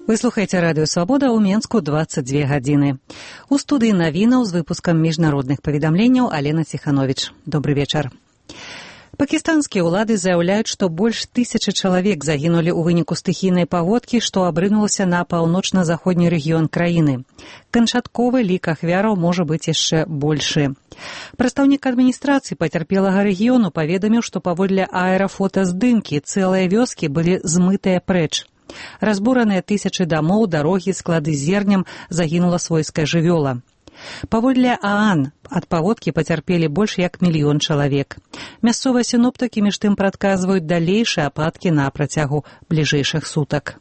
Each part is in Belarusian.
Вы слухаеце радыё «Свабода» ў Менску 22 гадзіны. У студыі навінаў з выпускам міжнародных паведамленняў Алена Ціхановіч. Добры вечар. Пакістанскія ўлады заяўляюць, што больш 1000 чалавек загінулі ў выніку стыхійнай паводкі, што абрынулася на паўночна-заходні рэгіён краіны. Канчатковы лік ахвяраў можа быць яшчэ большы. Прадстаўнік адміністрацыі пацярпелага рэгіёну паведаміў, што паводле аэрафотаздымкі цэлыя вёскі былі змытыя прэч. Разбураныя тысячы дамоў, дарогі, склады зернем, загінула свойская жывёла. Паводле ААН ад паводкі пацярпелі больш як 1 мільён чалавек. Мясцовыя сіноптыкі між тым прадказваюць далейшыя ападкі на працягу бліжэйшых сутак.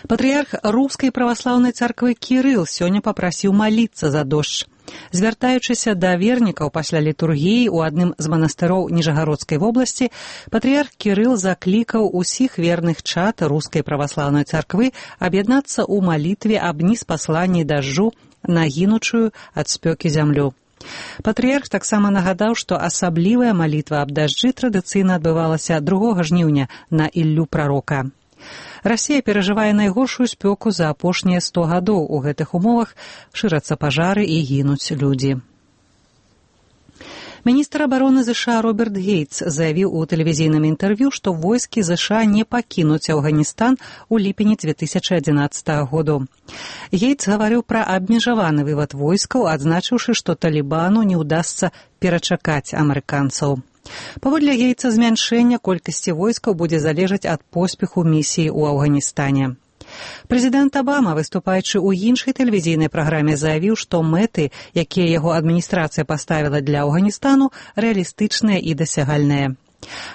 Патрыярх Рускай праваслаўнай царквы Кірыл сёння папрасіў маліцца за дождж. Звяртаючыся да вернікаў пасля літургіі ў адным з манастыроў Ніжагародскай вобласці, патрыярх Кірыл заклікаў усіх верных чад Рускай праваслаўнай царквы аб'яднацца ў малітве аб ніспасланні дажджу на гінучую ад спёкі зямлю. Патрыярх таксама нагадаў, што асаблівая малітва аб дажджы традыцыйна адбывалася 2 жніўня на Іллю прарока. Расія перажывае найгоршую спёку за апошнія 100 гадоў. У гэтых умовах шырацца пажары і гінуць людзі. Міністр абароны ЗША Роберт Гейтс заявіў у тэлевізійным інтэрв'ю, што войскі ЗША не пакінуць Афганістан у ліпені 2011 году. Гейтс гаварыў пра абмежаваны вывад войскаў, адзначыўшы, што Талібану не ўдасца перачакаць амерыканцаў. Паводле Гейтса змяншэння колькасці войскаў будзе залежаць ад поспеху місіі ў Афганістане. Прэзідэнт Абама, выступаючы ў іншай тэлевізійнай праграме, заявіў, што мэты, якія яго адміністрацыя паставіла для Афганістану, рэалістычныя і дасягальныя.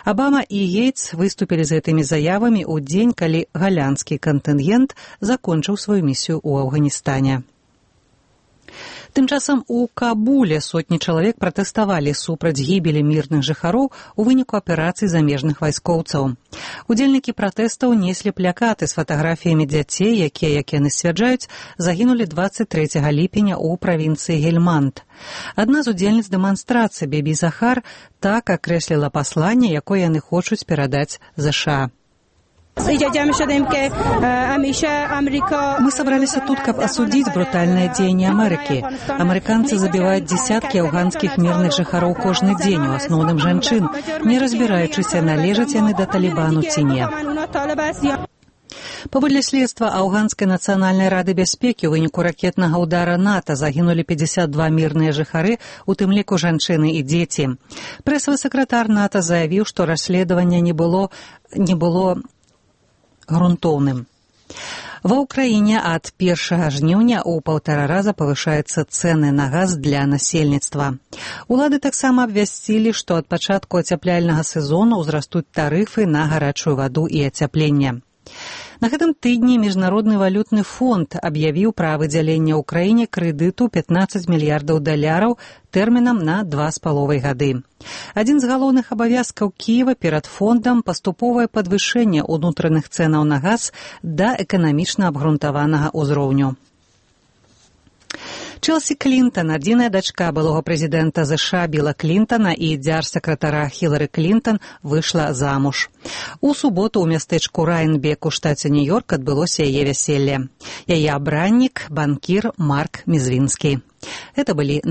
Абама і Гейтс выступілі з гэтымі заявамі ў дзень, калі галянскі кантынгент закончыў сваю місію ў Афганістане. Тым часам у Кабуле сотні чалавек пратэставалі супраць гібелі мірных жыхароў у выніку аперацый замежных вайскоўцаў. Удзельнікі пратэстаў неслі плакаты з фатаграфіямі дзяцей, якія, як яны сцвярджаюць, загінулі 23 ліпеня ў правінцыі Гельманд. Адна з удзельніц дэманстрацыі, Бебі Захар, так акрэсліла пасланне, якое яны хочуць перадаць ЗША. Мы собрались тут, каб осудить брутальное деяние Америки. Американцы забивают десятки афганских мирных жыхароў кожны дзень, у асноўным жанчын, не разбираючыся, належаць яны да Талібану ці не. Паводле следства Афганскай нацыянальнай рады бяспекі ў выніку ракетнага ўдара НАТО загінулі 52 мірныя жыхары, у тым ліку жанчыны і дзеці. Прэсавы сакратар НАТО заявіў, што расследаванне не было грунтоўным. Ва ўкраіне ад 1 жніўня ў 1,5 раза павышаюцца цэны на газ для насельніцтва. Улады таксама абвясцілі, што ад пачатку ацяпляльнага сезону ўзрастуць тарыфы на гарачую ваду і ацяпленне. На гэтым тыдні Міжнародны валютны фонд аб'явіў пра выдзяленне ўкраіне крэдыту $15 мільярдаў тэрмінам на 2,5 гады. Адзін з галоўных абавязкаў Кіева перад фондам паступовае падвышэнне ўнутраных цэнаў на газ да эканамічна абгрунтаванага ўзроўню. Челсі Клінтон, адзіная дачка былога прэзідэнта ЗША Біла Клінтона і дзярж-сакратара Хілары Клінтон, выйшла замуж. У суботу ў мястэчку Райнбек у штаце Нью-Йорк адбылося яе вяселле. Яе абраннік, банкір Марк Мізвінскі. Гэта былі